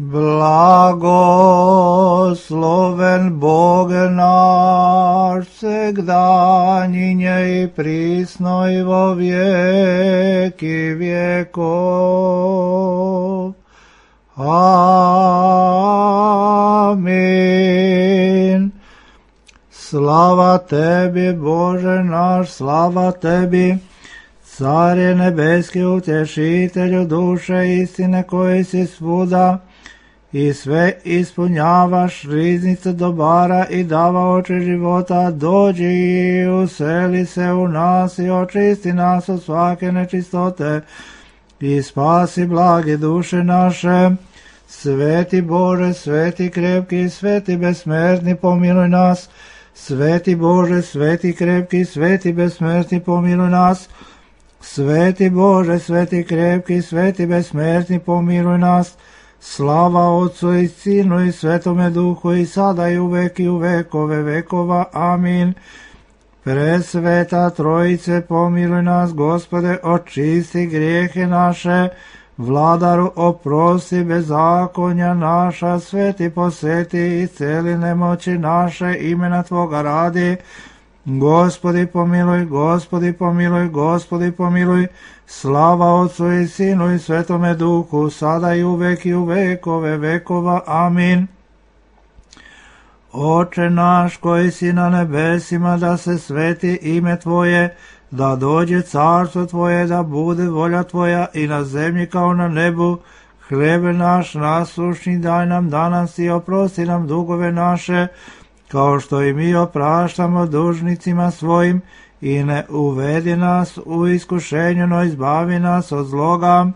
Blagosloven Bog naš, segdaninje i prisno i vo vijeki vjekov. Amin. Slava tebi, Bože naš, slava tebi, Carje nebeski, utješitelju duše istine koji si svuda i sve ispunjavaš, riznice dobara i davaoče života, dođi i useli se u nas i očisti nas od svake nečistote i spasi blage duše naše. Sveti Bože, sveti krepki, sveti besmrtni, pomiluj nas. Sveti Bože, sveti krepki, sveti besmrtni, pomiluj nas. Sveti Bože, sveti krepki, sveti besmrtni, pomiluj nas. Slava Otcu i Sinu i Svetome Duhu i sada i uvek i u vekove vekova. Amin. Presveta Trojice, pomiluj nas, Gospode, očisti grijehe naše. Vladaru, oprosti bezakonja naša, sveti posveti i celi nemoći naše, imena Tvoga radi. Gospodi pomiluj, Gospodi pomiluj, Gospodi pomiluj. Slava Otcu i Sinu i Svetome Duhu, sada i uvek i u vekove vekova. Amin. Oče naš koji si na nebesima, da se sveti ime Tvoje, da dođe carstvo Tvoje, da bude volja Tvoja i na zemlji kao na nebu. Hljeb naš nasušni daj nam danas i oprosti nam dugove naše, kao što i mi opraštamo dužnicima svojim, i ne uvedi nas u iskušenje, no izbavi nas od zloga,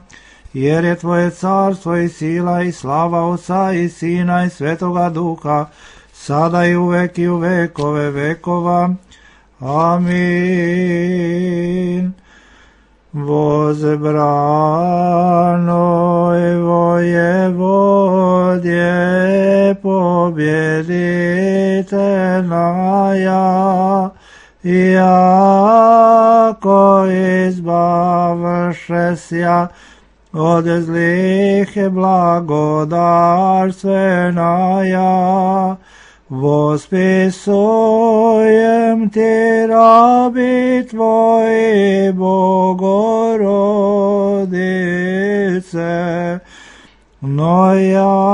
jer je Tvoje carstvo i sila i slava Otca i Sina i Svetoga Duha, sada i uvek i u vekove vekova. Amin. Возбранoj воеводje, побjeditelnaja, jako izbavšesja od zlih blagodarstvenaja, vospisujem ti rabi Tvoji, Bogorodice, no jako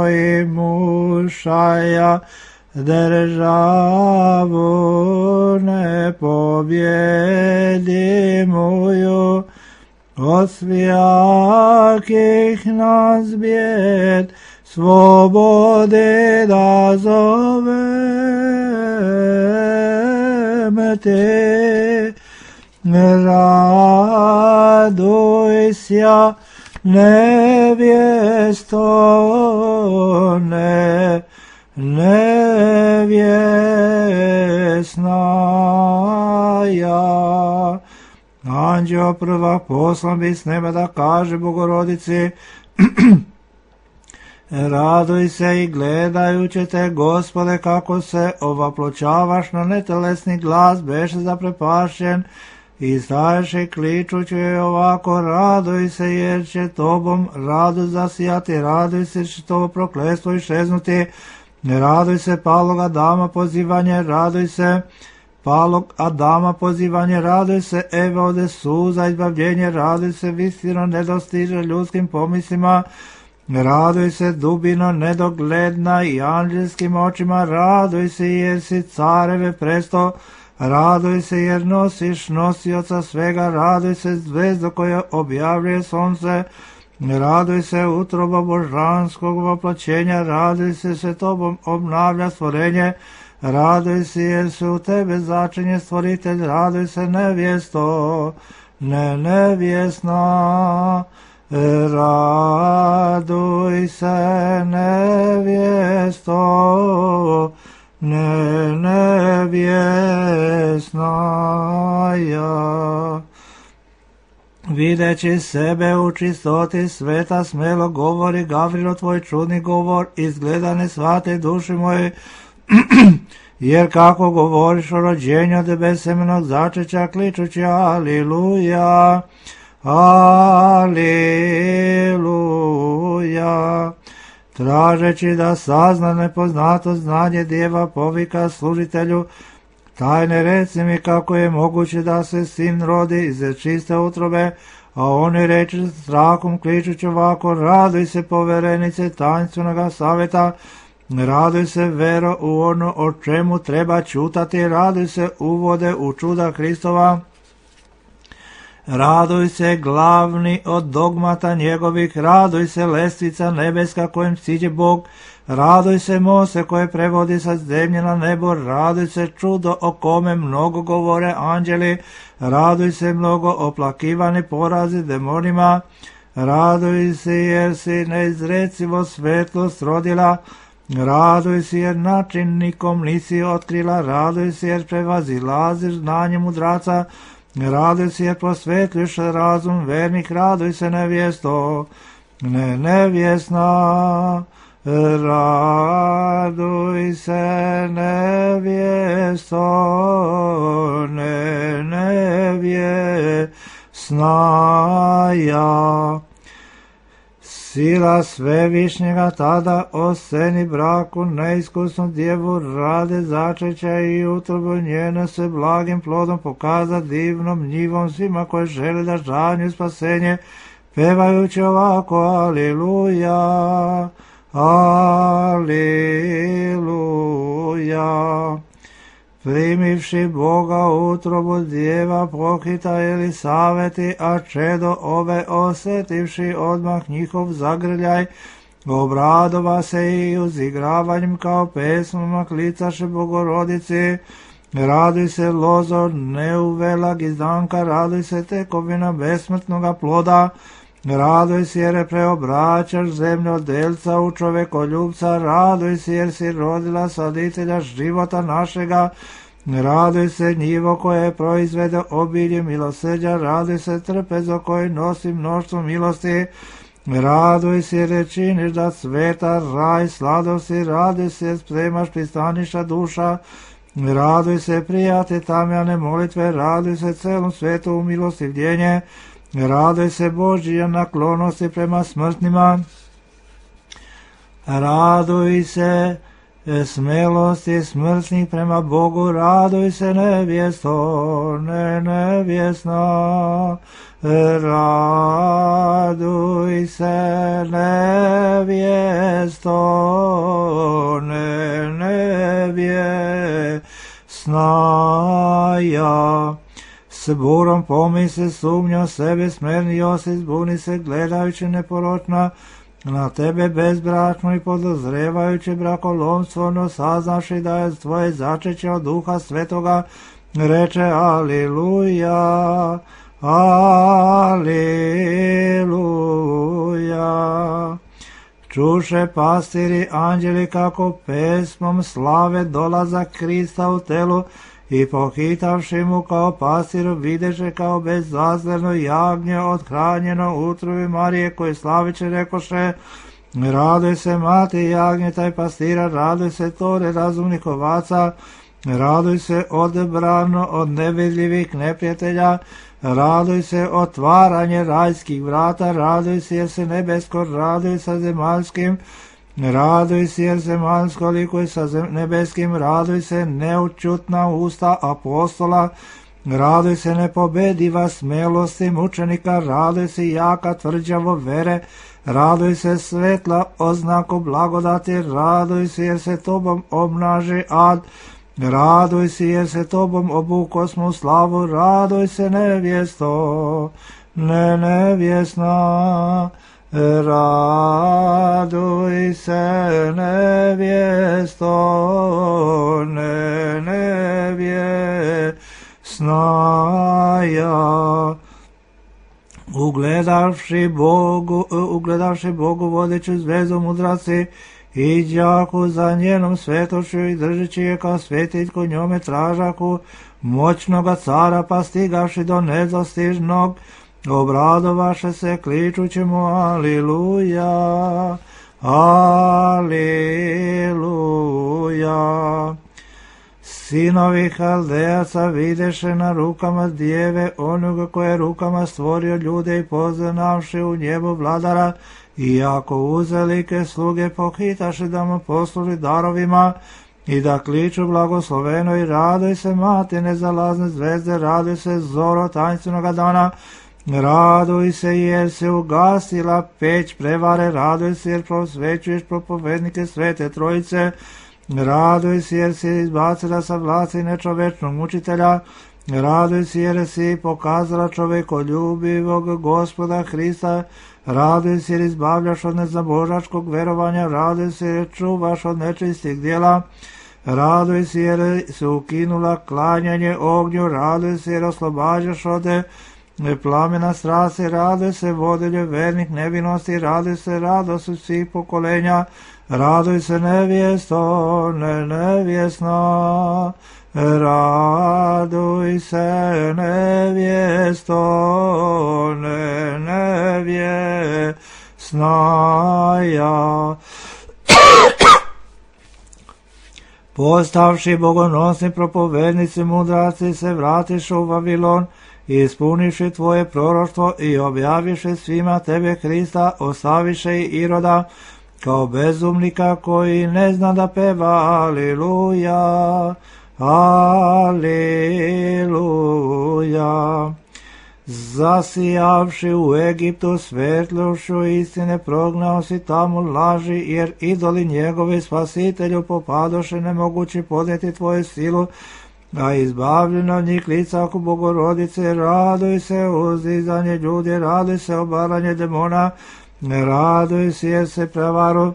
i mušaja državu ne pobjedimuju, od svijakih nas bijed svobode da zovem te. Raduj sja, nevjesto, nevjesnaja. Anđeo prvak poslan bi s neba da kaže Bogorodici, raduj se i gledajući te, Gospode, kako se ovapločavaš na netelesni glas, beše zaprepašćen i staješ i kličući joj ovako, raduj se jer će tobom radost zasijati, raduj se će to prokletstvo iščeznuti, raduj se palog Adama pozivanje, raduj se palog Adama pozivanje, raduj se Eve ode suza izbavljenje, raduj se visino nedostiže ljudskim pomislima, raduj se dubino nedogledna i anđelskim očima, raduj se jer si careve presto, raduj se jer nosiš nosioca svega, raduj se zvezdo koja objavljuje sunce, raduj se utroba božanskog voplaćenja, raduj se tobom obnavlja stvorenje, raduj se jer se u tebe začinje stvoritelj, raduj se nevjesto, nevjesna, raduj se nevjesto, nevjesnaja. Videći sebe u čistoti sveta, smelo govori Gavrilo tvoj čudni govor, izgleda ne shvate duši moje, jer kako govoriš o rođenju od besemenog začeća, kličući aliluja, Aleluja. Tražeći da sazna nepoznato znanje djeva povika služitelju, tajne reci mi kako je moguće da se sin rodi iz čiste utrobe, a oni reči strahom kličući ovako, raduj se poverenice tanstvenoga savjeta, raduj se vero u ono o čemu treba čutati, raduj se uvode u čuda Hristova, raduj se glavni od dogmata njegovih, raduj se lestvica nebeska kojim siđe Bog, raduj se Mose koje prevodi sa zemlje na nebo, raduj se čudo o kome mnogo govore anđeli, raduj se mnogo oplakivani porazi demonima, raduj se jer si neizrecivo svetlost rodila, raduj se jer način nikom nisi otkrila, raduj se jer prevazilaziš znanje mudraca, raduj se jer prosvetliš razum vernih, raduj se nevjesto, nevjesna, raduj se nevjesto, nevjesna ja. Sila svevišnjega tada oseni braku neiskusnu djevu rade začeća i utrobu njene se blagim plodom pokaza divnom njivom svima koji žele da žanju spasenje, pevajući ovako Aleluja, Aleluja. Primivši Boga utrobu djeva pohita Elisaveti, a čedo ove osjetivši odmah njihov zagrljaj, obradova se i uzigravanjem kao pesmama klicaše Bogorodici. Raduj se lozo neuvela gizdanka, raduj se tekovina besmrtnoga ploda, raduj se jer preobraćaš zemljodelca u čovekoljubca, raduj se jer si rodila saditelja života našega, raduj se njivo koje proizvede obilje milosrđa, raduj se trpezo koji nosi mnoštvo milosti, raduj se jer činiš da sveta raj sladosti, raduj se spremaš pristaniša duša, raduj se prijate tamjane molitve, raduj se celom svetu u milostivljenje, raduj se Božija naklonosti prema smrtnima, raduj se smelosti smrtnih prema Bogu, raduj se nevjesto, nevjesna, raduj se nevjesto, nevjesna ja. S burom pomisli sumnjo sebe smernio se, zbuni se gledajući neporočna na tebe bezbračno i podozrevajući brakolomstvo, no saznaši da je tvoje začeće od Duha Svetoga, reče Aleluja, Aleluja. Čuše pastiri anđeli kako pesmom slave dolazak Krista u telu, i pohitavši mu kao pastiru videše kao bezzazleno jagnje othranjeno utrobi Marije koje slaviće rekoše, raduj se mati jagnjeta i pastira, raduj se tore razumnih ovaca, raduj se odebrano od nevidljivih neprijatelja, raduj se otvaranje rajskih vrata, raduj se jer se nebesko, raduj sa zemaljskim, raduj se jer zemaljsko likuje sa nebeskim, raduj se neučutna usta apostola, raduj se nepobediva smelosti mučenika, raduj se jaka tvrđavo vere, raduj se svetla oznaku blagodati, raduj se jer se tobom obnaži ad, raduj se jer se tobom obukosmo slavu, raduj se nevjesto, nevjesna, raduj se nevjesto, nevjesna ja. Ugledavši Bogu vodeću zvezu mudraci i đaku za njenom svetošću i držeći je kao svetiljku njome tražaku moćnoga cara, pa stigavši do nedostižnog, obradovaše se kličući mu Aliluja, Aliluja. Sinovi Haldejaca videše na rukama djeve onoga koje je rukama stvorio ljude i poznavši u njebu vladara, i ako uzelike sluge pohitaše da mu posluži darovima i da kliču blagosloveno i raduj se mati nezalazne zvezde, raduj se zoro tańcenoga dana, raduj se jer se ugasila peć prevare, raduj se jer prosvećuješ propovednike Svete Trojice, raduj se jer si izbacila sa vlasti nečovečnog mučitelja, raduj se jer si pokazala čovekoljubivog Gospoda Hrista, raduj se jer izbavljaš od nezabožačkog verovanja, raduj se jer čuvaš od nečistih djela, raduj se jer se ukinula klanjanje ognju, raduj se jer oslobađaš od plamena strasti, raduj se vodilje vernih nevinosti, raduj se radost svih pokolenja, raduj se nevjesto, nevjesno, raduj se nevjesto, nevjesna ja. Postavši bogonosni propovednici mudraci se vratiš u Vavilon i ispuniši tvoje proroštvo i objaviše svima tebe Hrista, ostaviše i Iroda kao bezumnika koji ne zna da peva Aliluja, Aliluja. Zasijavši u Egiptu svetlošću istine, prognao si tamo laži, jer idoli njegovi spasitelju popadoše nemogući podnijeti tvoju silu, a izbavljeno od njih lica oko Bogorodice, raduj se uzdizanje ljudi, raduj se obaranje demona, raduj se jer se prevaru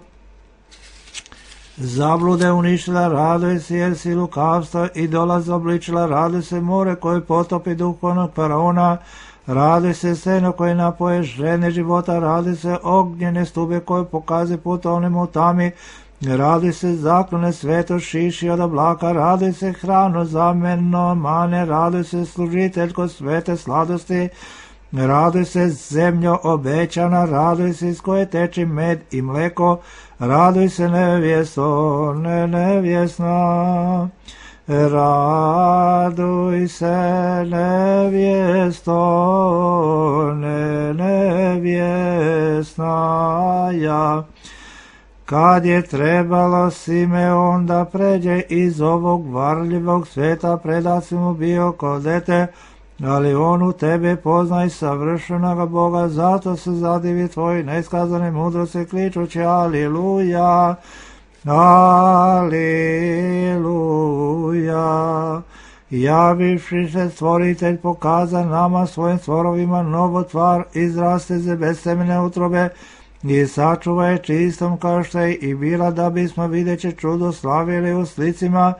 zablude uništila, raduj se jer si lukavstva i dolaz obličila, raduj se more koje potopi duhovnog faraona, raduj se seno koje napoje žene života, raduj se ognjene stube koje pokaze put onima u tami, raduj se zaklone sveto šiši od oblaka, raduj se hrano zameno mane, raduj se služiteljko svete sladosti, raduj se zemljo obećana, raduj se iz koje teči med i mleko, raduj se nevjesto, nevjesna, raduj se nevjesto, nevjesna ja. Kad je trebalo Simeon da pređe iz ovog varljivog sveta, predat si mu bio ko dete, ali on u tebe poznaj savršenog Boga, zato se zadivi tvoji neiskazane mudrosti, kličući Aliluja, Aliluja. Javivši se stvoritelj pokaza nama svojim stvorovima novo tvar, izraste ze bez semene utrobe i sačuva je čistom kao što je i bila, da bismo videći čudo slavili u slicima.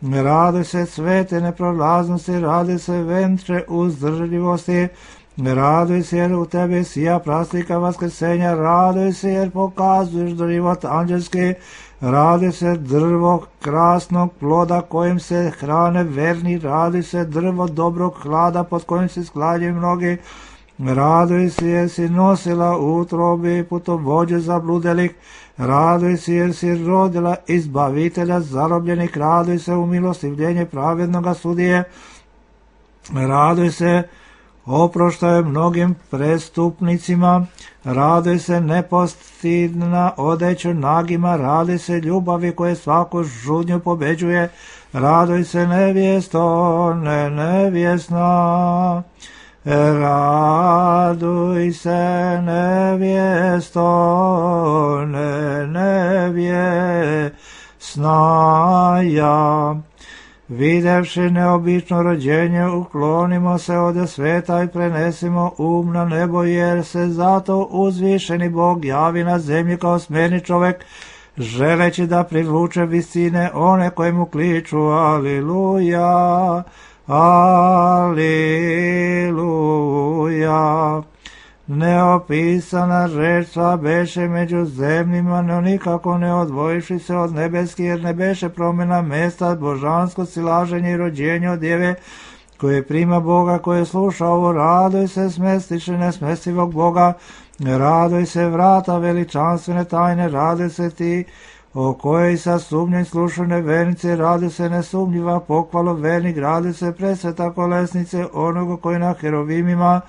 Raduj se svete neprolaznosti, raduj se ventre uzdržljivosti, raduj se jer u tebi sija praslika vaskrsenja, raduj se jer pokazuješ život anđelski, raduj se drvo krasnog ploda kojim se hrane verni, raduj se drvo dobrog hlada pod kojim se sklanjaju mnogi, raduj se jer si nosila u utrobi putovođe zabludelih, raduj se jer si rodila izbavitelja zarobljenih, raduj se u milostivljenje pravednoga sudije, raduj se oproštaju mnogim prestupnicima, raduj se nepostidna odeću nagima, raduj se ljubavi koje svaku žudnju pobeđuje, raduj se nevjesto, nevjesna, raduj se nevjesto, nevjesna ja. Videvši neobično rođenje, uklonimo se od sveta i prenesimo na nebo, jer se zato uzvišeni Bog javi na zemlji kao smjerni čovjek, želeći da privuče visine one koje mu kliču Aliluja, Aliluja. Neopisana reč sva beše među zemljima, no nikako ne odvojiši se od nebeski, jer ne beše promjena mesta, božansko silaženje i rođenje od djeve, koje prima Boga, koje sluša ovo, raduj se smestiše nesmestivog Boga, raduj se vrata veličanstvene tajne, raduj se ti o kojoj sa sumnjoj slušu nevernice, radi se nesumnjiva pohvalo vernik, radi se presveta kolesnice onoga koji na herovimima,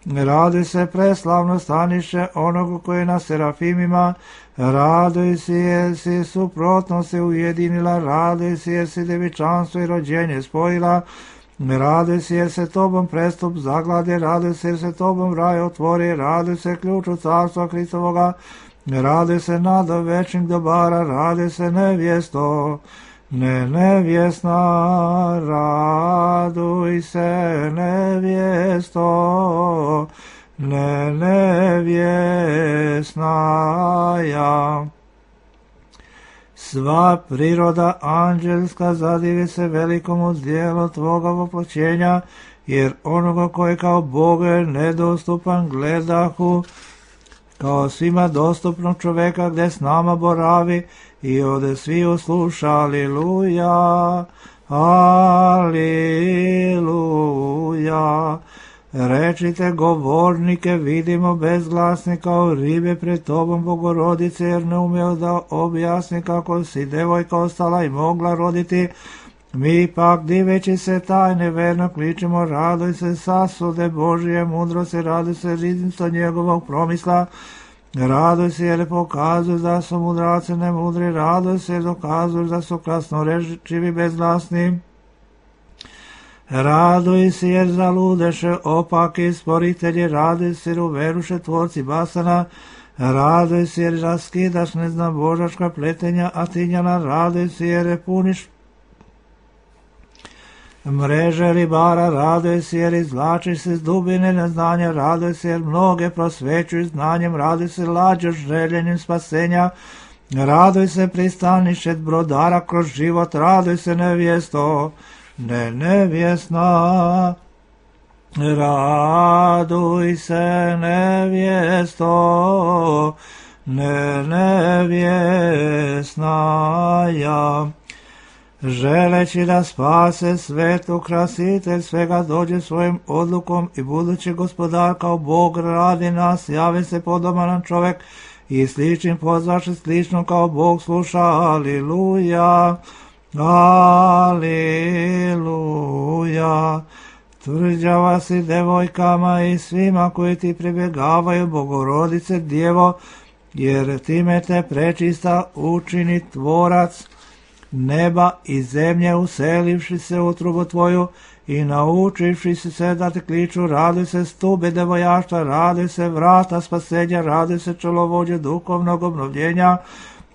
radi se preslavno stanište onoga koji na serafimima, raduj se jer si suprotno se ujedinila, raduj se jer si devičanstvo i rođenje spojila, raduj se jer se tobom prestup zaglade, raduj se jer se tobom raj otvori, raduj se ključu carstva Hristovoga, raduj se nada večnih dobara, raduj se nevjesto, nevjesna, raduj se nevjesto, nevjesna ja. Sva priroda anđelska zadivi se velikomu dijelu tvoga voploćenja, jer onoga koji kao Bog je nedostupan gledahu, kao svima dostupnog čoveka gde s nama boravi i ode svi usluša, aliluja, aliluja. Rečite govornike, vidimo bezglasni kao ribe pred tobom, Bogorodice, jer ne umeo da objasni kako si devojka ostala i mogla roditi. Mi pak, diveći se tajne, verno kličemo, raduj se sasude Božije mudrosti, raduj se riznico njegovog promisla, raduj se jer pokazuj da su mudraci nemudri, raduj se jer dokazuj da su krasnorečivi bezglasni. Raduj se jer zaludeše opaki sporitelji, raduj se jer uveruše tvorci basana, raduj se jer raskidaš neznabožačka pletenja Atinjana, raduj se jer puniš mreže ribara, raduj se jer izvlačiš se s dubine neznanja, raduj se jer mnoge prosvećuj znanjem, raduj se lađaš željenjem spasenja, raduj se pristanišet brodara kroz život, raduj se nevjesto, nevjesna, raduj se nevjesto, nevjesna ja. Želeći da spase svet, ukrasitelj svega dođe svojim odlukom i budući gospodar kao Bog radi nas, javi se podoban čovek i sličnim pozvaše slično kao Bog sluša, aliluja, aliluja. Tvrđava si devojkama i svima koji ti pribjegavaju, Bogorodice Djevo, jer time te prečista učini tvorac neba i zemlje, uselivši se u utrubu tvoju i naučivši se da te kliču, raduj se stube devojaštva, raduj se vrata spasenja, raduj se čelovođe duhovnog obnovljenja,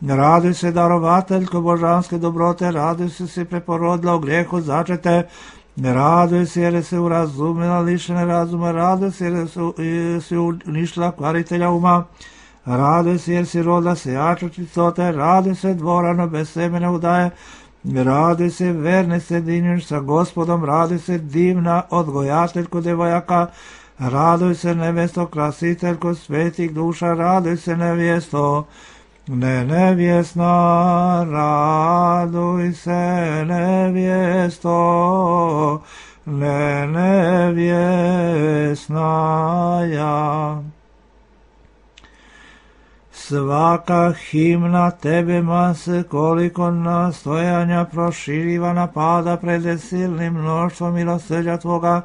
raduj se darovateljko božanske dobrote, raduj se si preporodila u grijehu začete, raduj se jer se urazumila lišene razuma, raduj se jer si uništila kvaritelja uma, raduj se jer si rodila sejača čistote, raduj se dvorano bez semena udaje, raduj se verne sjedinjuš sa Gospodom, raduj se divna odgojateljko devojaka, raduj se nevesto krasiteljko svetih duša, raduj se nevjesto, nevjesna, raduj se nevjesto, nevjesna ja. Svaka himna tebe mase koliko nastojanja proširiva napada pred silnim mnoštvom milosrđa tvoga,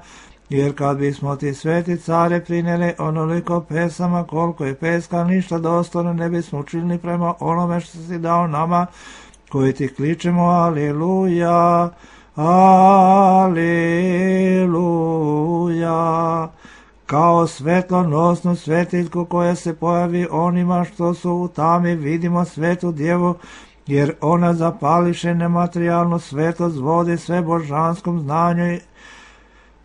jer kad bismo ti sveti care prineli onoliko pesama koliko je peska, ništa dostojno ne bismo učinili prema onome što si dao nama koji ti kličemo aliluja, aliluja. Kao svetlonosnu svetiljku koja se pojavi onima što su u tami, vidimo svetu djevu, jer ona zapališe nematerijalnu svetlost, vodi sve božanskom znanju,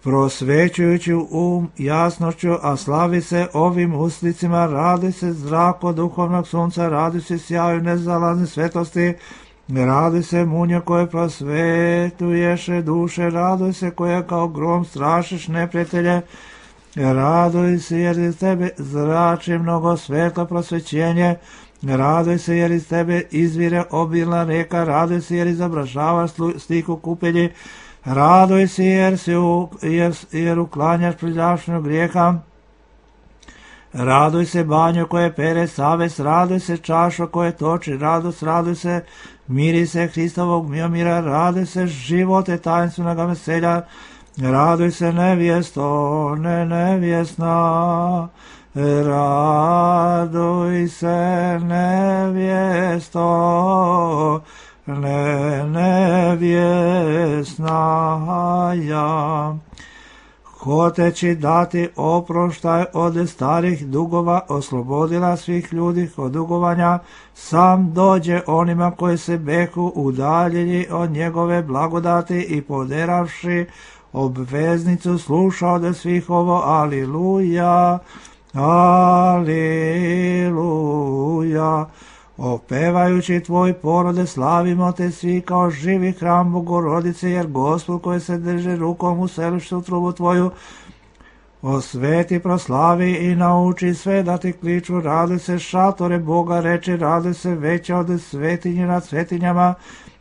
prosvećujući um jasnošću, a slavi se ovim uslicima, radi se zrako duhovnog sunca, radi se sjaju nezalazne svetlosti, radi se munja koje prosvetuješe duše, radi se koja kao grom strašiš neprijatelje, raduj se jer iz tebe zrači mnogo svetlo prosvećenje, raduj se jer iz tebe izvire obilna reka, raduj se jer izobražavaš stihu kupelji, raduj se jer uklanjaš prljavšnju grijeha, Raduj se banjo koje pere savest, raduj se čašo koje toči radost, raduj se mirise Hristovog miomira, raduj se živote tajenstvenog veselja, raduj se nevjesto, ne nevjesna, raduj se nevjesto, ne nevjesna ja. Hoteći dati oproštaj od starih dugova, oslobodila svih ljudi od dugovanja, sam dođe onima koji se behu udaljili od njegove blagodati i poderavši obveznicu sluša od svih ovo, aliluja, aliluja. Opevajući tvoj porode, slavimo te svi kao živi hram Bogorodice, jer Gospod koji se drže rukom u selištu trubu tvoju, osveti, proslavi i nauči sve da ti kliču, raduj se šatore Boga, reči, raduj se veća od svetinje nad svetinjama,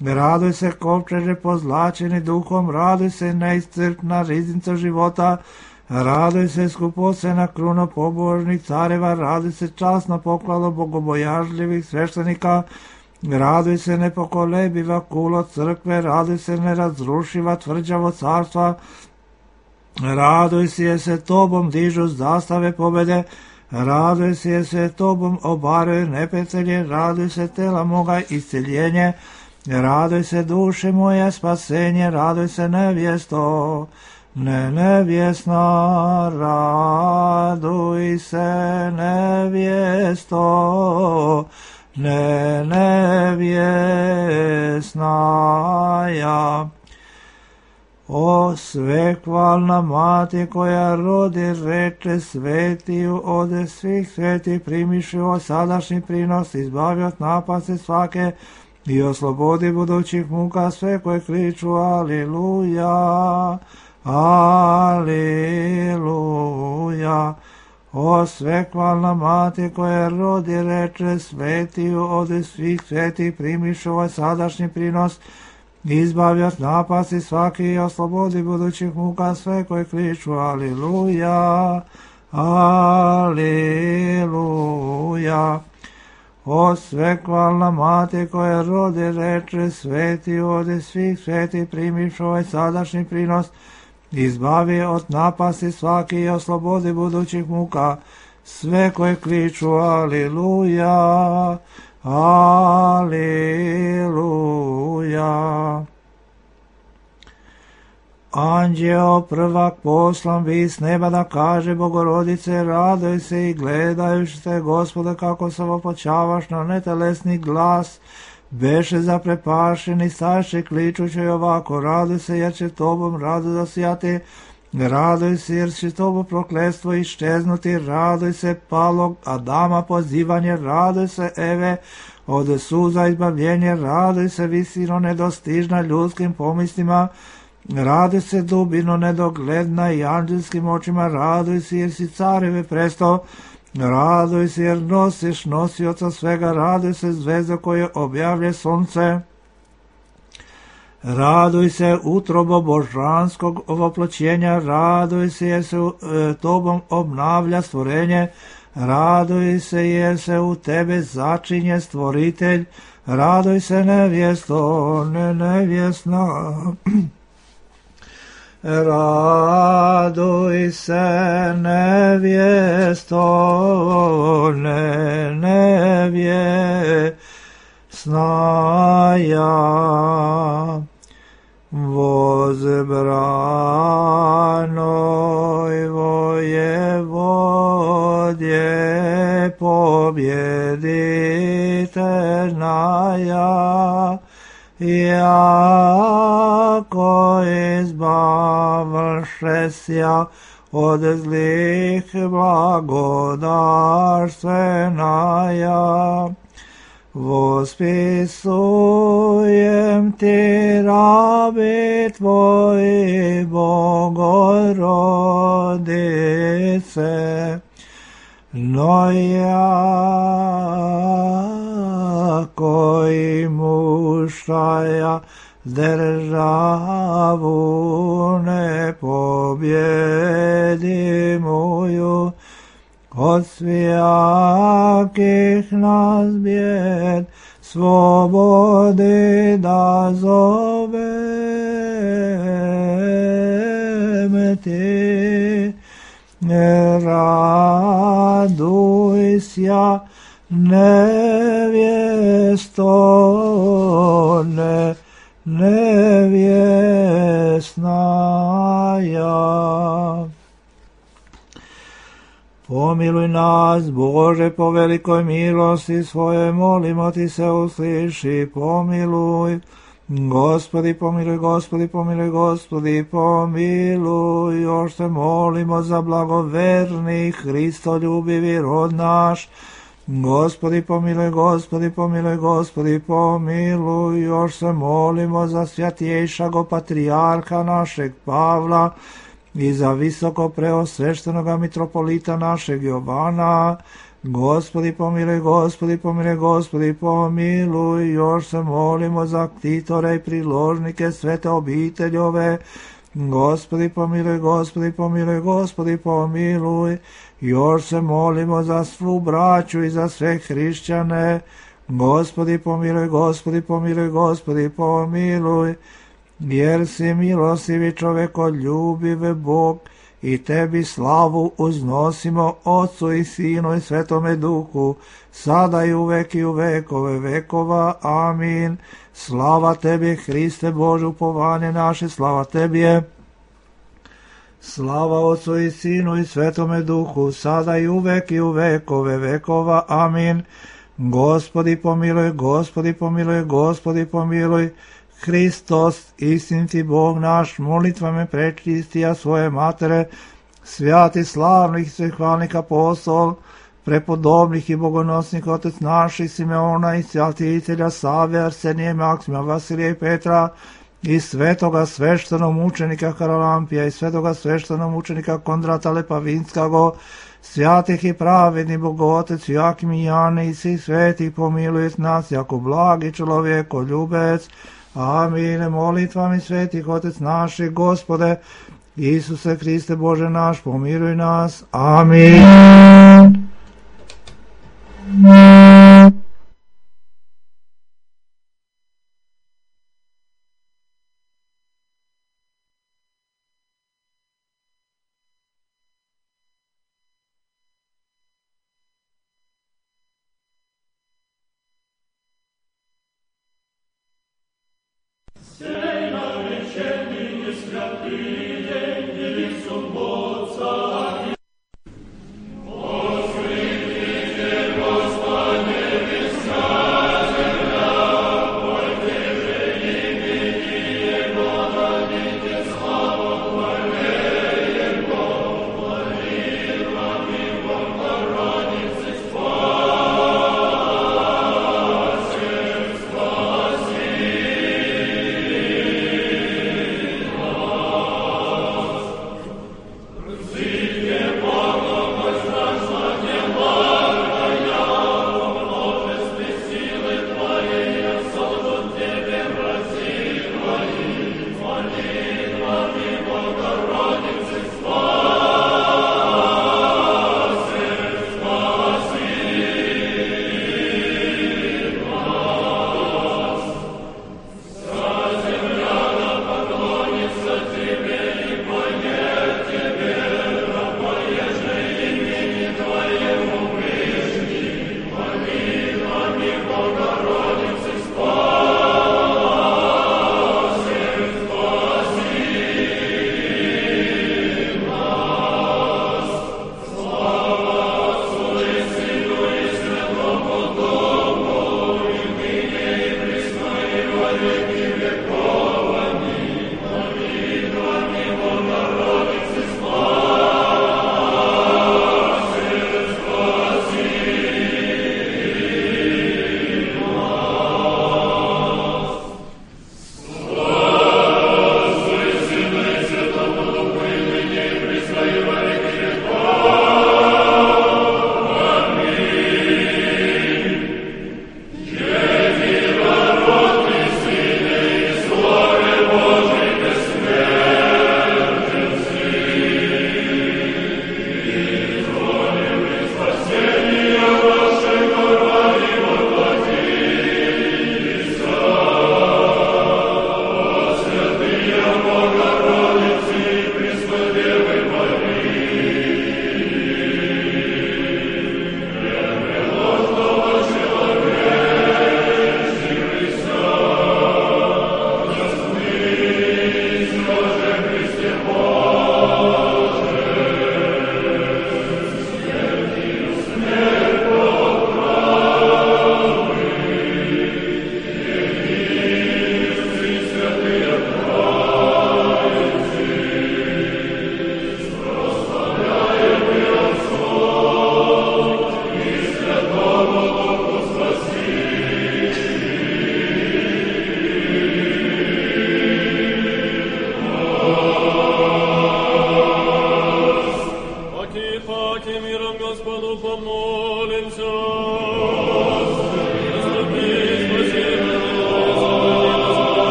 raduj se kovčeže pozlačeni duhom, raduj se neiscrpna riznica života, raduj se skupocena kruna pobožnih careva, raduj se časno poklalo bogobojažljivih sveštenika, raduj se nepokolebiva kulo crkve, raduj se nerazrušiva tvrđavo carstva, raduj se tobom dižu zastave pobede, raduj se tobom obaraju neprijatelje, raduj se tela moga isceljenje, raduj se duše moje spasenje, raduj se nevjesto, ne nevjesna, raduj se nevjesto, ne nevjesna ja. O svekvalna mati koja rodi, reče svetiju od svih sveti, primiši o sadašnji prinos, izbavi od napasti svake i oslobodi budućih muka sve koje kliču aliluja. Aliluja. O svekvalna mati koja rodi, reče svetiju od svih sveti, primiši ovaj sadašnji prinos, izbavi od napasti svaki i oslobodi budućih muka sve koje kliču aliluja, aliluja. O svekvalna mati koja rodi, reče svetiju od svih sveti, primiši ovaj sadašnji prinos, izbavi od napasti svaki i oslobodi budućih muka sve koje kliču aliluja, aliluja. Anđeo prvak poslan bi s neba da kaže Bogorodice, raduj se i gledajući te Gospode kako se opočavaš na netelesni glas, beše zaprepašeni, staše kličući ovako, raduj se jer će tobom rado zasijati, raduj se jer će tobo prokletstvo iščeznuti, raduj se palog Adama pozivanje, raduj se Eve od suza izbavljenje, raduj se visino nedostižna ljudskim pomislima, raduj se dubino nedogledna i anđelskim očima, raduj se jer si careve presto, raduj se jer nosiš nosioca svega, raduj se zvezda koje objavlje sunce, raduj se utrobo božanskog ovoploćenja, raduj se jer se tobom obnavlja stvorenje, raduj se jer se u tebe začinje stvoritelj, raduj se nevjesto, ne nevjesna, raduj se nevjesto, ne nevjesna ja. Возбранoj воеводje побjeditelnaja, jako izbavšesja od zlih blagodarstvenaja. Vospisujem ti rabi tvoji Bogorodice, no jako i mušaja državu ne pobjedi moju, od svijakih nas bijed, slobodi da zovem ti. Raduj sja, nevjesto, nevjesnaja. Pomiluj nas, Bože, po velikoj milosti svoje, molimo ti se, usliši, pomiluj. Gospodi, pomiluj, Gospodi, pomiluj, Gospodi, pomiluj. Još se molimo za blagoverni, Hristoljubivi rod naš. Gospodi, pomiluj, Gospodi, pomiluj, Gospodi, pomiluj. Još se molimo za svjatjejšago patrijarha našeg Pavla i za visoko preosveštenoga mitropolita našeg Jovana. Gospodi, pomiluj, Gospodi, pomiluj, Gospodi, pomiluj. Još se molimo za ktitore i priložnike svete obiteljove. Gospodi, pomiluj, Gospodi, pomiluj, Gospodi, pomiluj. Još se molimo za svu braću i za sve hrišćane. Gospodi, pomiluj, Gospodi, pomiluj, Gospodi, pomiluj. Jer si milostivi čovekoljubiv Bog, i tebi slavu uznosimo, Otcu i Sinu i Svetome Duhu, sada i uvek i u vekove vekova. Amin. Slava tebi, Hriste Bože, upovanje naše, slava tebi je. Slava Otcu i Sinu i Svetome Duhu, sada i uvek i u vekove vekova. Amin. Gospodi pomiluj, Gospodi pomiluj, Gospodi pomiluj. Hristos, istiniti Bog naš, molitvame prečistija svoje matere, svjati slavnih svehvalnih apostol, prepodobnih i bogonosnih otec naših Simeona i svjatitelja Save, Arsenije, Maksima, Vasilija i Petra, i svetoga sveštenog mučenika Haralampija i svetoga sveštenog mučenika Kondrata Lepavinskago, svjatih i pravedni Bogotec Jakim i Jane i svih svetih, pomiluj nas jako blagi čovjekoljubec. Amin. Molitvami svetih Otec naših, Gospode, Isuse Hriste Bože naš, pomiluj nas. Amin.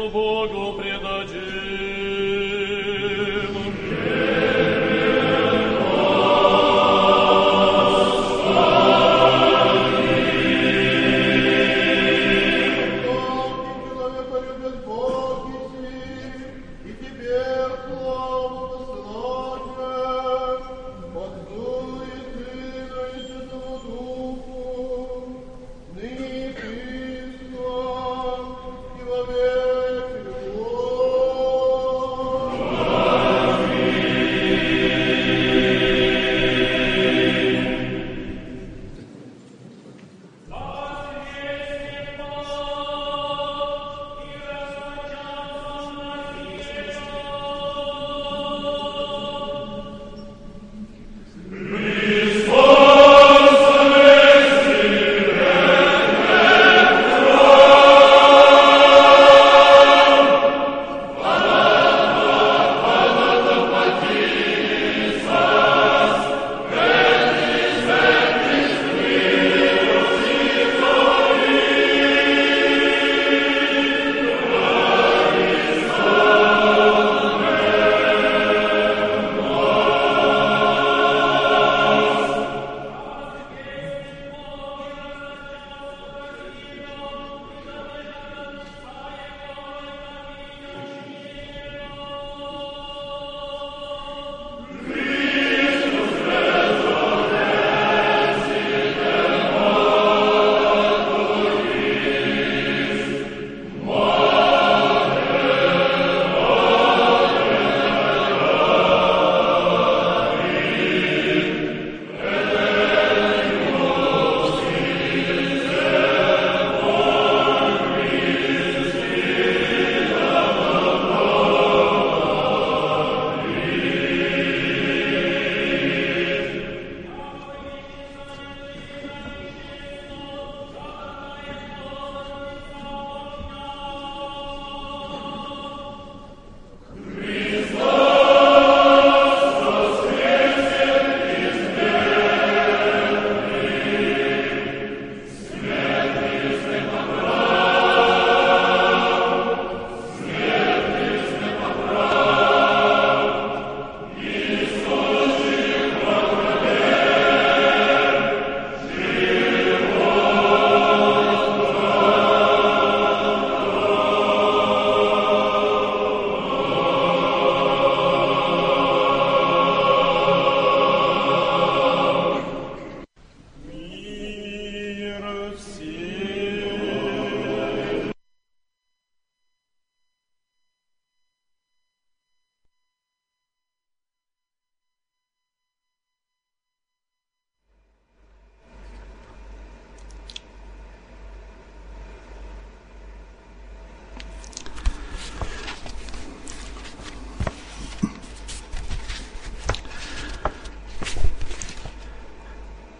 Богу предадим.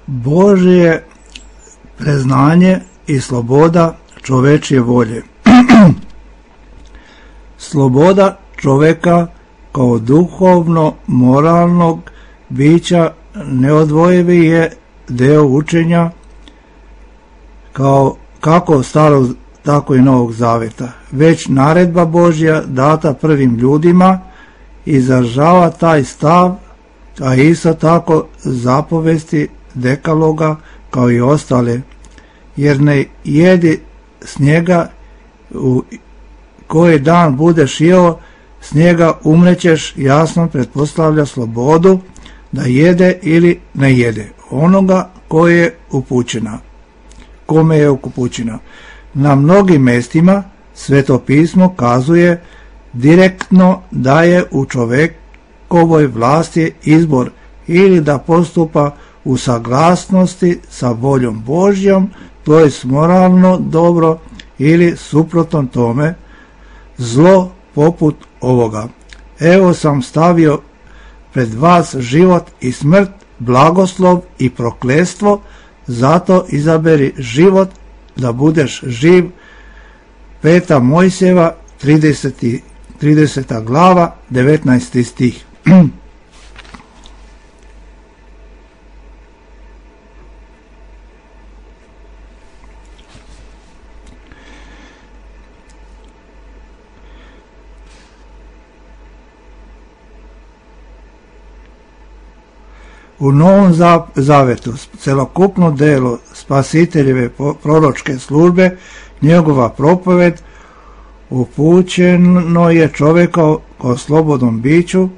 Božje preznanje i sloboda čovečje volje. Sloboda čoveka kao duhovno moralnog bića neodvojivi je deo učenja kako starog tako i Novog Zaveta. Već naredba Božja data prvim ljudima izražava taj stav, a isto tako zapovesti dekaloga kao i ostale, jer ne jedi s njega u koji dan budeš jeo, s njega umrećeš, jasno pretpostavlja slobodu da jede ili ne jede onoga kome je upućena. Na mnogim mestima Sveto pismo kazuje direktno da je u čovekovoj vlasti izbor ili da postupa u saglasnosti sa voljom Božjom, to je moralno dobro, ili suprotno tome zlo poput ovoga. Evo sam stavio pred vas život i smrt, blagoslov i prokletstvo, zato izaberi život da budeš živ. 5. Mojsijeva 30. glava 19. stih. U Novom Zavetu celokupno delo spasiteljeve proročke službe, njegova propoved, upućeno je čovjeka kao slobodnom biću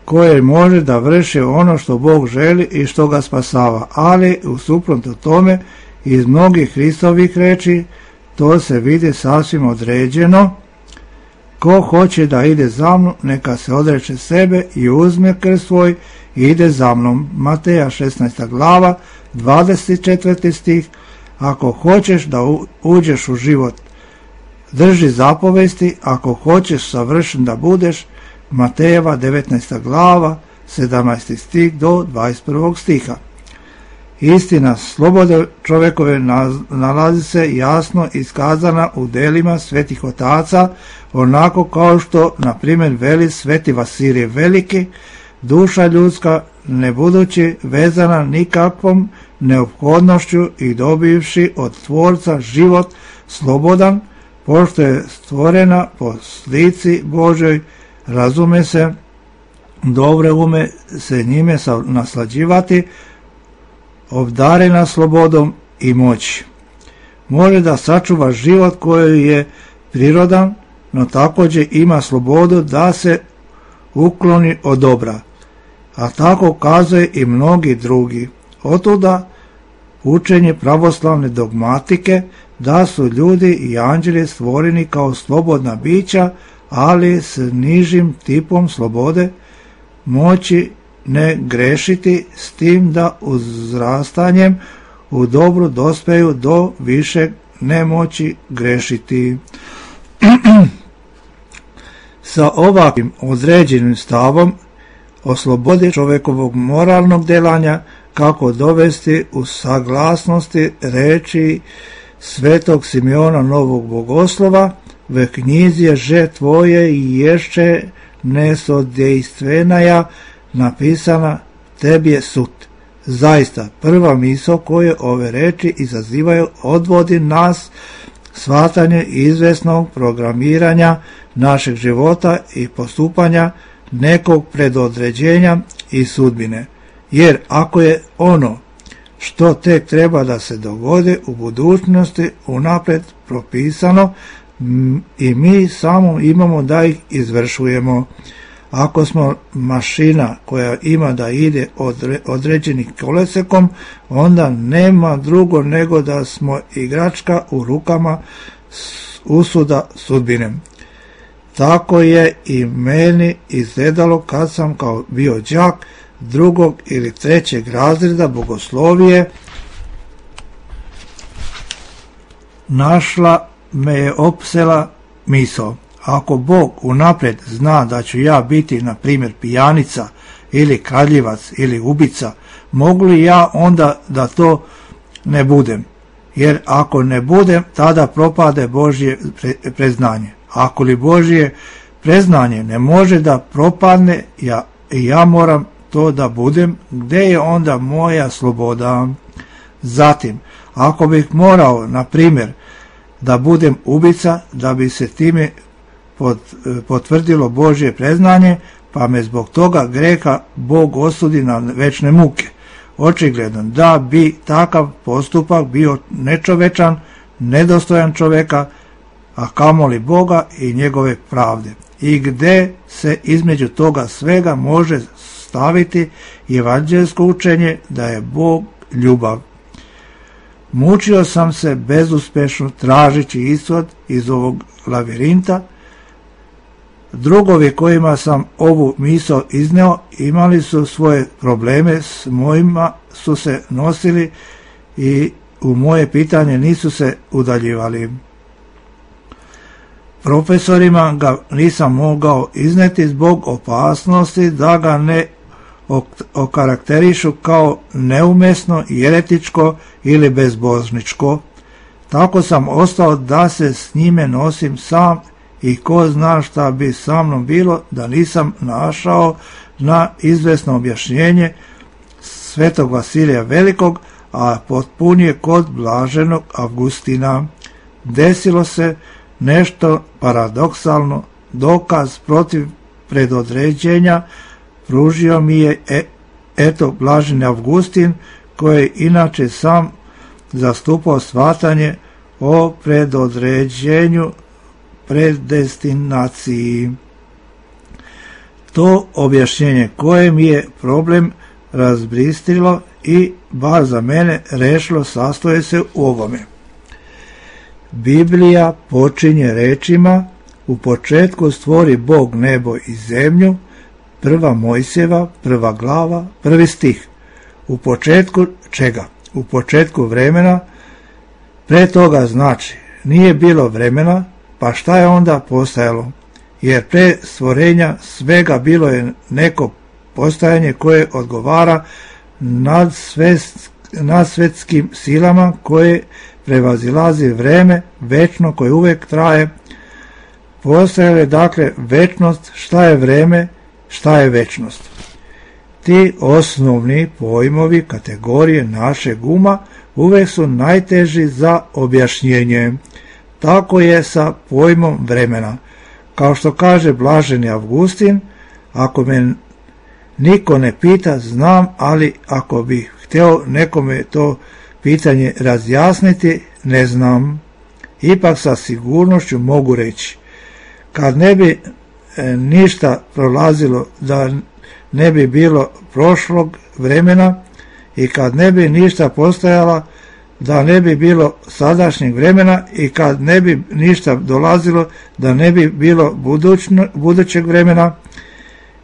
koje može da vrši ono što Bog želi i što ga spasava, ali u suprotno tome iz mnogih Hristovih reči to se vidi sasvim određeno. Ko hoće da ide za mnom, neka se odreče sebe i uzme krst svoj i ide za mnom. Mateja 16. glava, 24. stih. Ako hoćeš da uđeš u život, drži zapovesti, ako hoćeš savršen da budeš, Matejeva 19. glava, 17. stih do 21. stiha. Istina slobode čovjekove nalazi se jasno iskazana u delima svetih otaca, onako kao što, na primjer, veli sveti Vasilije Veliki, duša ljudska, ne budući vezana nikakvom neophodnošću i dobivši od Tvorca život slobodan, pošto je stvorena po slici Božoj, razume se, dobre ume se njime naslađivati, obdarena slobodom i moći. Može da sačuva život koji je prirodan, no također ima slobodu da se ukloni od dobra, a tako kazuje i mnogi drugi. Otuda učenje pravoslavne dogmatike da su ljudi i anđeli stvoreni kao slobodna bića, ali s nižim tipom slobode, moći ne grešiti, s tim da uzrastanjem u dobru dospeju do više nemoći grešiti. Sa ovakvim određenim stavom o slobodi čovjekovog moralnog delanja, kako dovesti u saglasnosti reči svetog Simeona Novog Bogoslova, v knjizi že tvoje i ješće nesodejstvenaja napisana tebi je sud. Zaista, prva misao koje ove reči izazivaju odvodi nas shvatanje izvesnog programiranja našeg života i postupanja nekog predodređenja i sudbine. Jer ako je ono što tek treba da se dogodi u budućnosti unapred propisano i mi samo imamo da ih izvršujemo. Ako smo mašina koja ima da ide određenim kolesekom, onda nema drugo nego da smo igračka u rukama usuda sudbine. Tako je i meni izgledalo kad sam kao bio đak drugog ili trećeg razreda bogoslovije. Našla me je opsela misao. Ako Bog unaprijed zna da ću ja biti, na primjer, pijanica ili kradljivac ili ubica, mogu li ja onda da to ne budem? Jer ako ne budem, tada propade Božje preznanje. Ako li Božje preznanje ne može da propadne, ja moram to da budem, gdje je onda moja sloboda? Zatim, ako bih morao, na primjer, da budem ubica, da bi se time potvrdilo Božje preznanje, pa me zbog toga greha Bog osudi na večne muke. Očigledno da bi takav postupak bio nečovečan, nedostojan čovjeka, a kamoli Boga i njegove pravde. I gde se između toga svega može staviti evanđelsko učenje da je Bog ljubav. Mučio sam se bezuspešno tražići ishod iz ovog lavirinta. Drugovi kojima sam ovu misao izneo imali su svoje probleme, s mojima su se nosili i u moje pitanje nisu se udaljivali. Profesorima ga nisam mogao izneti zbog opasnosti da ga ne okarakterišu kao neumesno, jeretičko ili bezbožničko. Tako sam ostao da se s njime nosim sam i ko zna šta bi sa mnom bilo da nisam našao na izvesno objašnjenje svetog Vasilija Velikog, a potpunije kod blaženog Avgustina. Desilo se nešto paradoksalno, dokaz protiv predodređenja pružio mi je eto blaženi Avgustin, koji je inače sam zastupao shvatanje o predodređenju predestinaciji. To objašnjenje koje mi je problem razbristilo i bar za mene rešilo sastoje se u ovome. Biblija počinje rečima: u početku stvori Bog nebo i zemlju, 1. Mojsijeva, 1. glava, 1. stih. U početku čega? U početku vremena. Pre toga znači nije bilo vremena, pa šta je onda postajalo? Jer pre stvorenja svega bilo je neko postajanje koje odgovara nadsvetskim silama, koje prevazilazi vreme večno koje uvek traje. Postojala je dakle večnost. Šta je vreme, šta je večnost? Ti osnovni pojmovi kategorije našeg uma uvek su najteži za objašnjenje. Tako je sa pojmom vremena. Kao što kaže blaženi Avgustin, ako me niko ne pita, znam, ali ako bih hteo nekome to pitanje razjasniti, ne znam. Ipak sa sigurnošću mogu reći, kad ne bi ništa prolazilo, da ne bi bilo prošlog vremena, i kad ne bi ništa postajala, da ne bi bilo sadašnjeg vremena, i kad ne bi ništa dolazilo, da ne bi bilo budućeg vremena.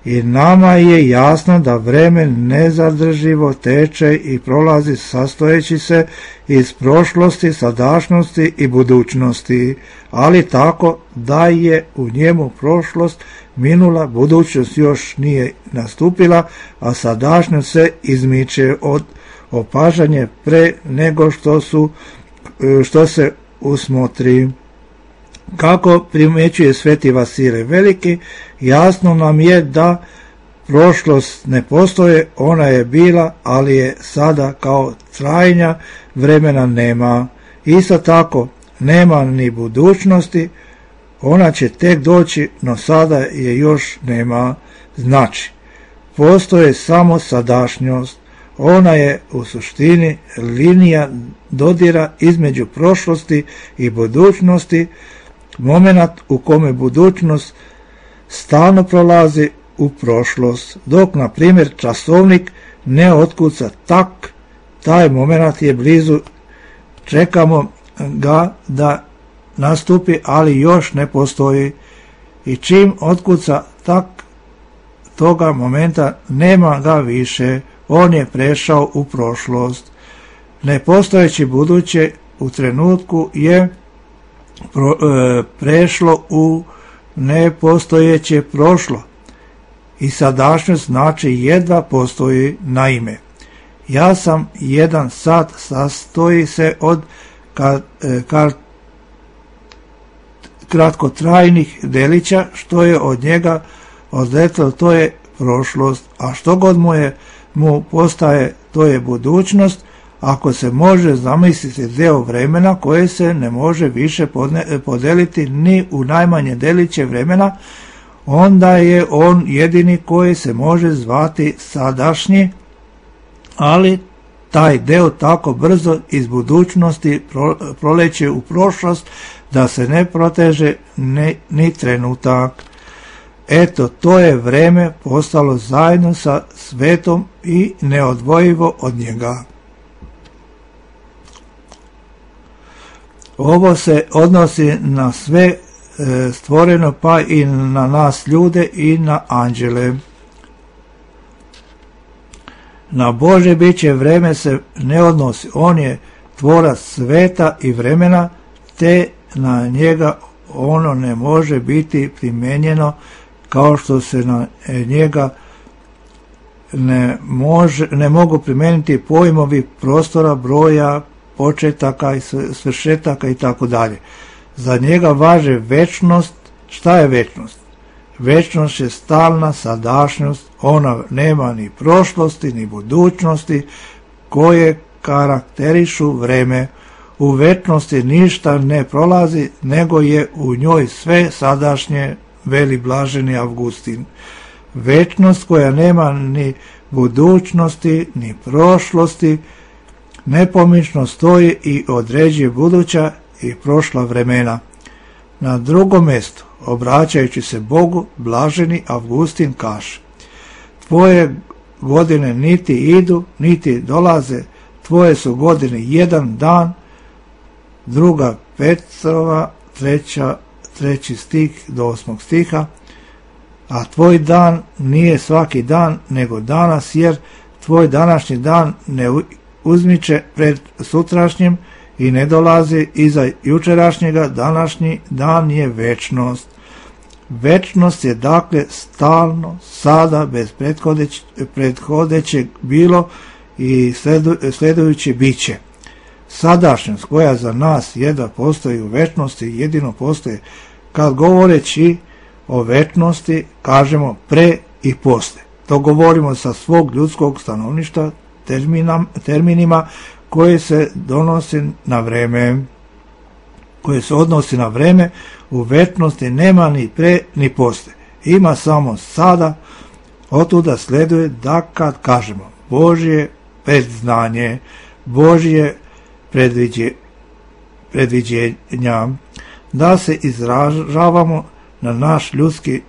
I nama je jasno da vreme nezadrživo teče i prolazi, sastojeći se iz prošlosti, sadašnjosti i budućnosti, ali tako da je u njemu prošlost minula, budućnost još nije nastupila, a sadašnjost se izmiče od opažanja pre nego što se usmotri. Kako primećuje Sveti Vasilije Veliki, jasno nam je da prošlost ne postoje, ona je bila, ali je sada kao trajanja vremena nema. Isto tako, nema ni budućnosti, ona će tek doći, no sada je još nema. Znači, postoje samo sadašnjost, ona je u suštini linija dodira između prošlosti i budućnosti, moment u kome budućnost stalno prolazi u prošlost, dok na primjer časovnik ne otkuca tak, taj moment je blizu, čekamo ga da nastupi, ali još ne postoji, i čim otkuca tak, toga momenta nema ga više, on je prešao u prošlost. Nepostojeći buduće u trenutku je prešlo u nepostojeće prošlo, i sadašnjost znači jedva postoji. Naime, ja sam jedan sat sastoji se od kratkotrajnih delića, što je od njega odletelo, to je prošlost, a što god mu postaje, to je budućnost. Ako se može zamisliti deo vremena koje se ne može više podeliti ni u najmanje deliće vremena, onda je on jedini koji se može zvati sadašnji, ali taj deo tako brzo iz budućnosti proleće u prošlost da se ne proteže ni trenutak. Eto, to je vreme postalo zajedno sa svetom i neodvojivo od njega. Ovo se odnosi na sve stvoreno, pa i na nas ljude i na anđele. Na Bože biće vreme se ne odnosi, on je tvorac sveta i vremena, te na njega ono ne može biti primenjeno kao što se na njega ne mogu primeniti pojmovi prostora, broja, početaka i svršetaka i tako dalje. Za njega važe večnost. Šta je večnost? Večnost je stalna sadašnjost, ona nema ni prošlosti ni budućnosti koje karakterišu vreme. U večnosti ništa ne prolazi, nego je u njoj sve sadašnje, veli blaženi Avgustin. večnost koja nema ni budućnosti, ni prošlosti, nepomično stoji i određuje buduća i prošla vremena. Na drugom mjestu, obraćajući se Bogu, blaženi Avgustin kaže: tvoje godine niti idu, niti dolaze, tvoje su godine jedan dan. 2. Petrova 3. stih do 8. stiha. A tvoj dan nije svaki dan, nego danas, jer tvoj današnji dan ne uzmiče pred sutrašnjim i ne dolazi iza jučerašnjega. Današnji dan je večnost. Večnost je dakle stalno, sada, bez prethodećeg bilo i sledujući biće. Sadašnjost koja za nas jedva postoji u večnosti, jedino postoji kad govoreći o večnosti kažemo pre i posle. To govorimo sa svog ljudskog stanovništva terminima koje se odnosi na vreme. U večnosti nema ni pre ni posle. Ima samo sada. Otuda sleduje da kad kažemo Božje predznanje, Božje predviđenja, da se izražavamo na naš ljudski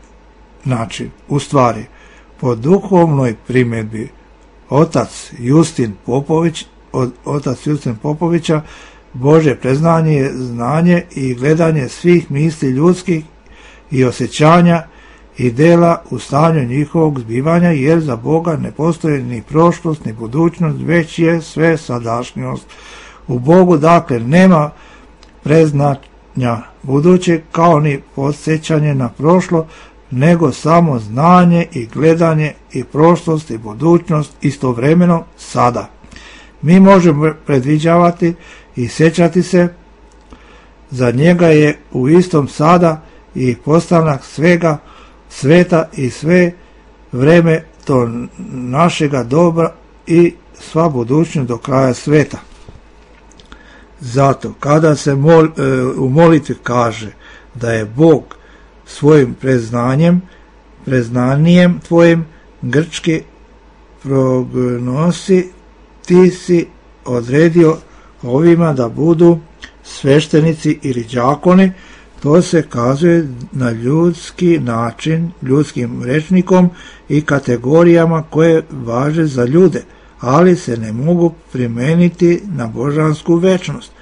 način. U stvari, po duhovnoj primjedbi otac Justin Popovića, Božje predznanje je znanje i gledanje svih misli ljudskih i osjećanja i dela u stanju njihovog zbivanja, jer za Boga ne postoji ni prošlost ni budućnost, već je sve sadašnjost. U Bogu dakle nema predznanja budućeg kao ni podsjećanje na prošlo, nego samo znanje i gledanje i prošlost i budućnost istovremeno sada. Mi možemo predviđavati i sjećati se, za njega je u istom sada i postanak svega sveta i sve vreme to našega dobra i sva budućnost do kraja sveta. Zato kada se u molitvi kaže da je Bog svojim preznanijem tvojim grčki prognosi, ti si odredio ovima da budu sveštenici ili đakoni. To se kazuje na ljudski način, ljudskim rečnikom i kategorijama koje važe za ljude, ali se ne mogu primeniti na božansku večnost.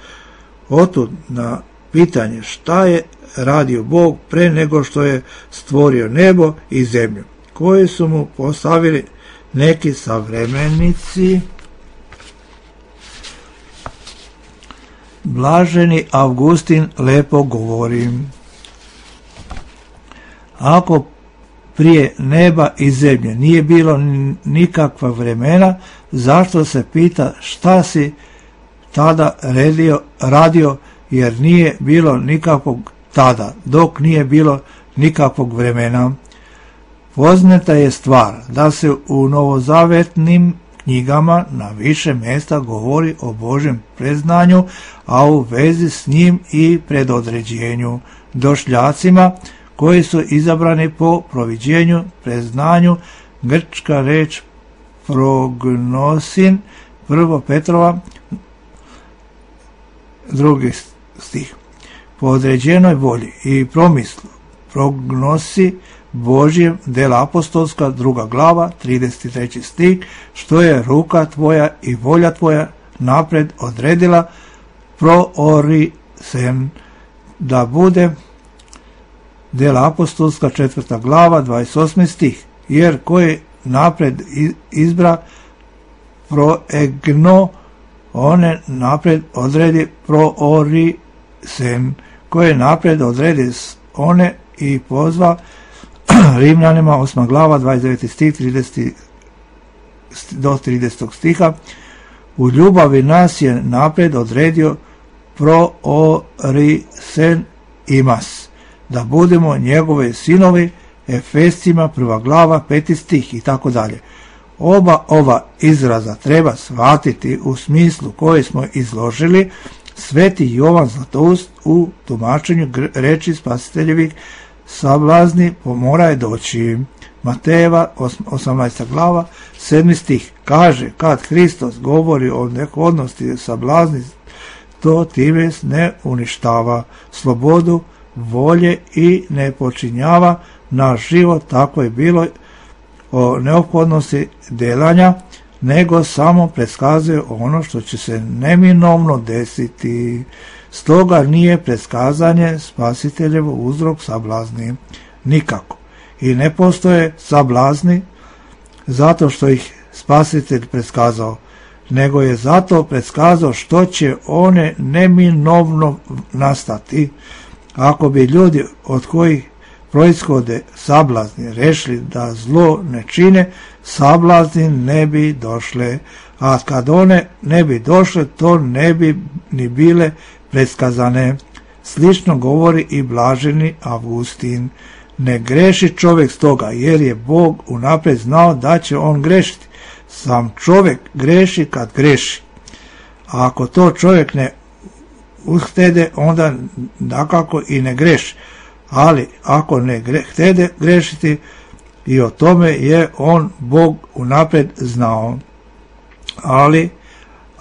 Otud na pitanje šta je radio Bog pre nego što je stvorio nebo i zemlju, koje su mu postavili neki savremenici. Blaženi Avgustin lepo govori: ako prije neba i zemlje nije bilo nikakva vremena, zašto se pita šta si tada radio, jer nije bilo nikakvog tada, dok nije bilo nikakvog vremena. Poznata je stvar da se u novozavetnim knjigama na više mjesta govori o Božjem predznanju, a u vezi s njim i predodređenju došljacima koji su izabrani po proviđenju, predznanju. Grčka reč prognosin, 1. Petrova 2. stih. Po određenoj volji i promislu prognosi Božjem, dela apostolska, 2. glava, 33. stih, što je ruka tvoja i volja tvoja napred odredila proorisen da bude, dela apostolska, 4. glava, 28. stih, jer koji napred izbra proegno, one napred odredi proorisen, koje napred odredi one i pozva. Rimljanima 8. glava 29. stih 30 do 30. stiha. U ljubavi nas je napred odredio proorisen imas, da budemo njegove sinovi. Efescima 1. glava 5. stih i tako dalje. Oba ova izraza treba shvatiti u smislu koje smo izložili. Sveti Jovan Zlatoust u tumačenju reči spasiteljevih sablazni mora je doći. Matejeva 18. glava 7. stih kaže, kad Hristos govori o nehodnosti sablazni, to time ne uništava slobodu volje i ne počinjava naš život, tako je bilo o neophodnosti delanja, nego samo predskazuje ono što će se neminovno desiti. Stoga nije predskazanje spasiteljevo uzrok sablazni. Nikako. I ne postoje sablazni zato što ih spasitelj predskazao, nego je zato predskazao što će one neminovno nastati. Ako bi ljudi od kojih proizvode sablazni rešili da zlo ne čine, sablazni ne bi došle, a kad one ne bi došle, to ne bi ni bile predskazane. Slično govori i blaženi Avgustin. Ne greši čovjek stoga, jer je Bog unaprijed znao da će on grešiti. Sam čovjek greši kad greši. A ako to čovjek ne uhtede, onda dakako i ne greši. Ali ako ne htede grešiti, i o tome je on Bog unaprijed znao. Ali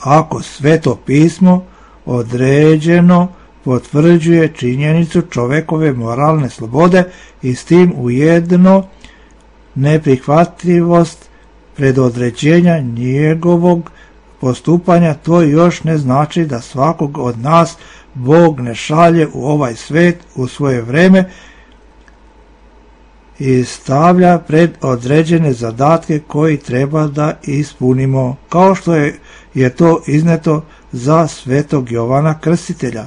ako Sveto pismo određeno potvrđuje činjenicu čovekove moralne slobode i s tim ujedno neprihvatljivost predodređenja njegovog postupanja, to još ne znači da svakog od nas Bog ne šalje u ovaj svet u svoje vreme i stavlja pred određene zadatke koji treba da ispunimo, kao što je to izneto za svetog Jovana Krstitelja.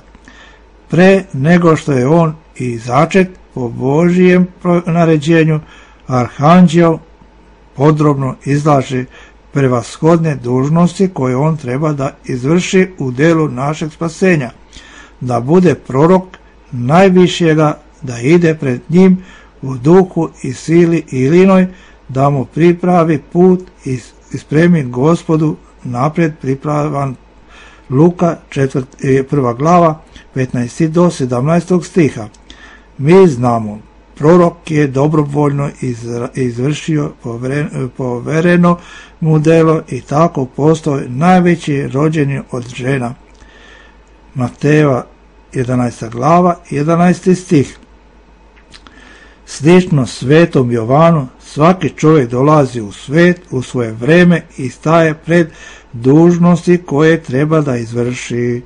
Pre nego što je on i začet po Božijem naređenju, arhanđel podrobno izlaže prevashodne dužnosti koje on treba da izvrši u delu našeg spasenja, da bude prorok najvišega, da ide pred njim u duhu i sili i linoj, da mu pripravi put i spremi Gospodu napred pripravan. Luka 1. glava 15. do 17. stiha. Mi znamo, prorok je dobrovoljno izvršio povereno mu delo i tako postao najveći rođeni od žena. Matejeva 11. glava 11. stih. Slično svetom Jovanu, svaki čovjek dolazi u svet u svoje vreme i staje pred dužnosti koje treba da izvrši.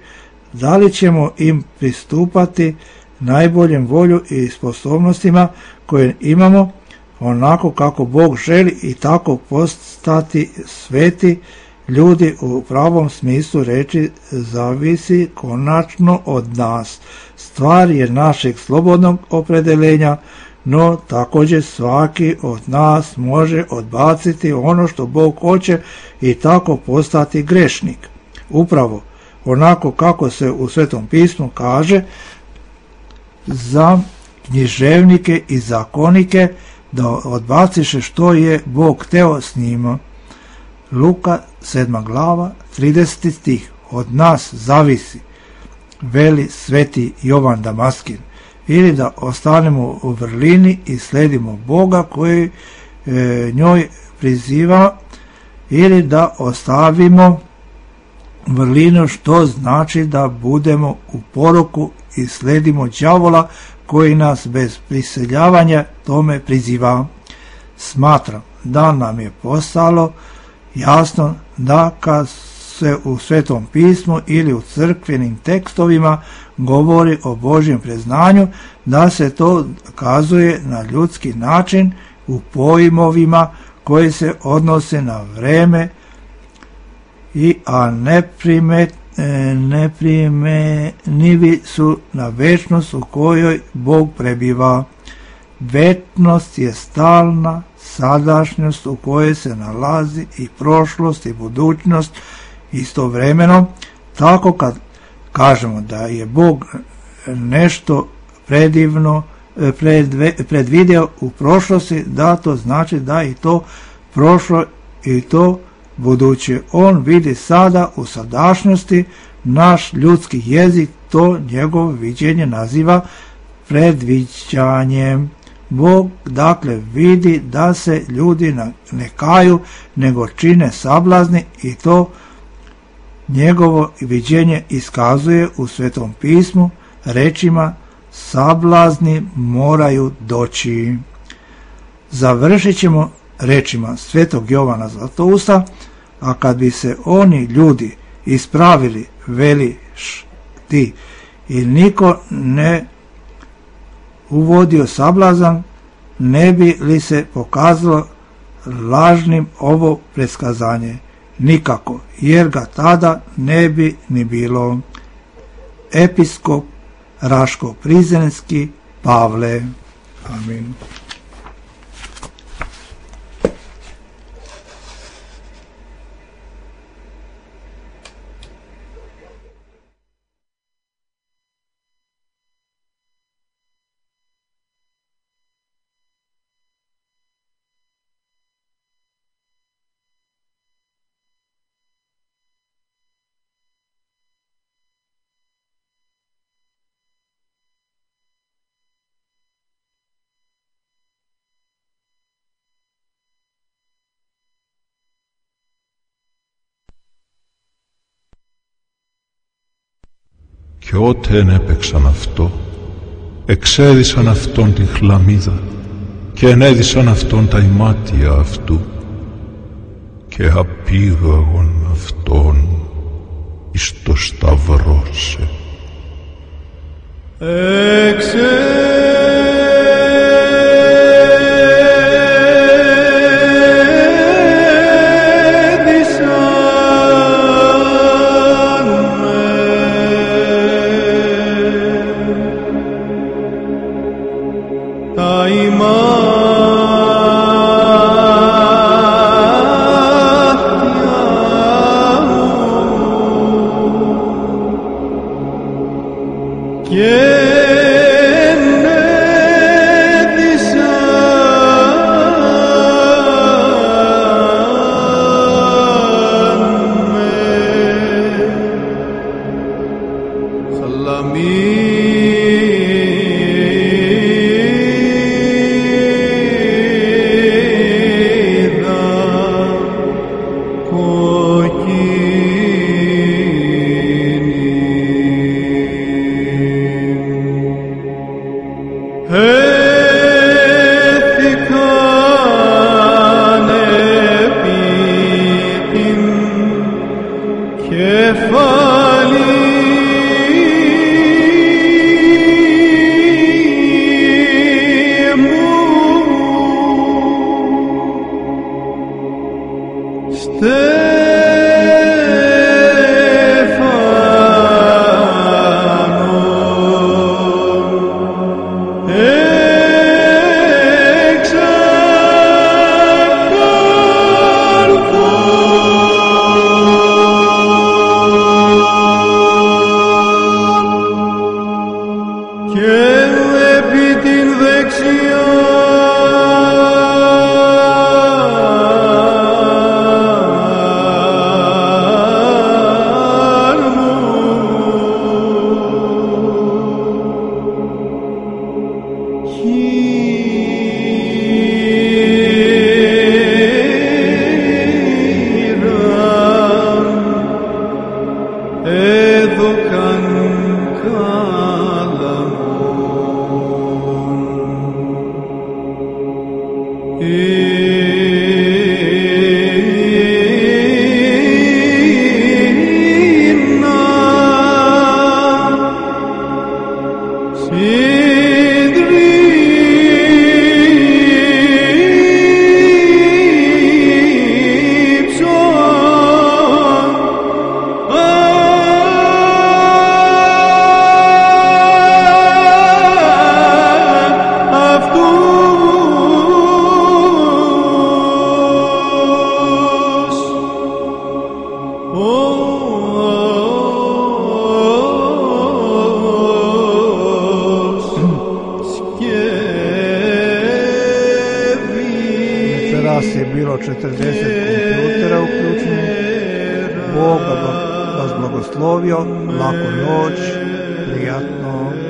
Da li ćemo im pristupati najboljem volju i sposobnostima koje imamo, onako kako Bog želi, i tako postati sveti ljudi u pravom smislu reči, zavisi konačno od nas. Stvar je našeg slobodnog opredeljenja, no također svaki od nas može odbaciti ono što Bog hoće i tako postati grešnik. Upravo onako kako se u Svetom pismu kaže za književnike i zakonike, da odbaciše što je Bog hteo s njima. Luka 7. glava 30. stih. Od nas zavisi, veli sveti Jovan Damaskin, ili da ostanemo u vrlini i sledimo Boga koji njoj priziva, ili da ostavimo vrlinu, što znači da budemo u poroku i sledimo đavola koji nas bez priseljavanja tome priziva. Smatram da nam je postalo jasno da kad se u Svetom pismu ili u crkvenim tekstovima govori o Božjem priznanju, da se to kazuje na ljudski način u pojmovima koji se odnose na vreme, a neprimenivi su na večnost u kojoj Bog prebiva. Večnost je stalna sadašnjost u kojoj se nalazi i prošlost i budućnost istovremeno. Tako kad kažemo da je Bog nešto predivno predvideo u prošlosti, da to znači da i to prošlo i to buduće. On vidi sada u sadašnjosti, naš ljudski jezik to njegovo viđenje naziva predviđanjem. Bog dakle vidi da se ljudi ne kaju, nego čine sablazni i to njegovo viđenje iskazuje u Svetom pismu rečima sablazni moraju doći. Završit ćemo rečima Svetog Jovana Zlatousta, a kad bi se oni ljudi ispravili, veliš ti, i niko ne uvodio sablazan, ne bi li se pokazalo lažnim ovo predskazanje? Nikako, jer ga tada ne bi ni bilo. Episkop Raško-Prizrenski Pavle. Amin. Και ότεν έπαιξαν αυτό, εξέδισαν αυτόν την χλαμίδα και ενέδισαν αυτόν τα ημάτια αυτού και απήγαγον αυτόν εις το σταυρώσε. Bilo 40 kompjutera uključenih. Bog vas blagoslovio, laku noć, prijatno.